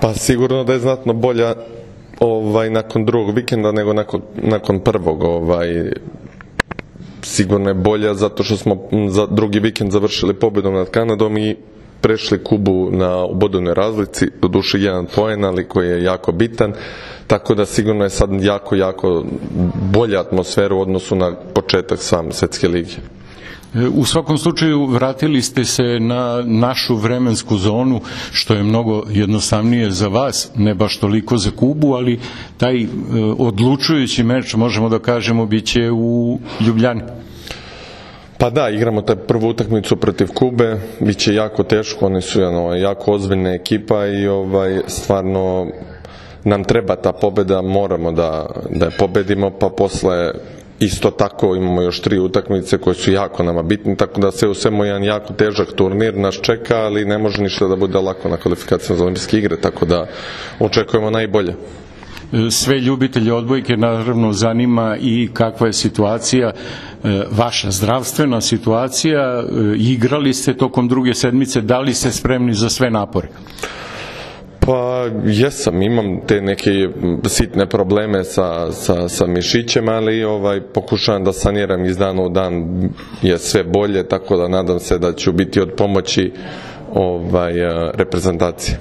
Pa sigurno da je znatno bolja nakon drugog vikenda nego nakon prvog. Sigurno je bolja zato što smo za drugi vikend završili pobjedom nad Kanadom i prešli Kubu u bodovnoj razlici, doduše 1 poen, ali koji je jako bitan, tako da sigurno je sad jako bolja atmosfera u odnosu na početak same Svetske lige. U svakom slučaju vratili ste se na našu vremensku zonu, što je mnogo jednostavnije za vas, ne baš toliko za Kubu, ali taj odlučujući meč, možemo da kažemo, bit će u Ljubljani. Pa da, igramo taj prvu utakmicu protiv Kube, bit će jako teško, oni su jako ozbiljna ekipa i stvarno nam treba ta pobjeda, moramo da je pobedimo, pa posle isto tako imamo još 3 utakmice koje su jako nama bitne, tako da se u svemu jedan jako težak turnir nas čeka, ali ne može ništa da bude lako na kvalifikacijama za olimpijske igre, tako da očekujemo najbolje. Sve ljubitelje odbojke naravno zanima i kakva je situacija, vaša zdravstvena situacija, igrali ste tokom druge sedmice, da li ste spremni za sve napore? Pa jesam, imam te neke sitne probleme sa mišićem, ali pokušavam da saniram iz dana u dan, je sve bolje, tako da nadam se da ću biti od pomoći reprezentacije.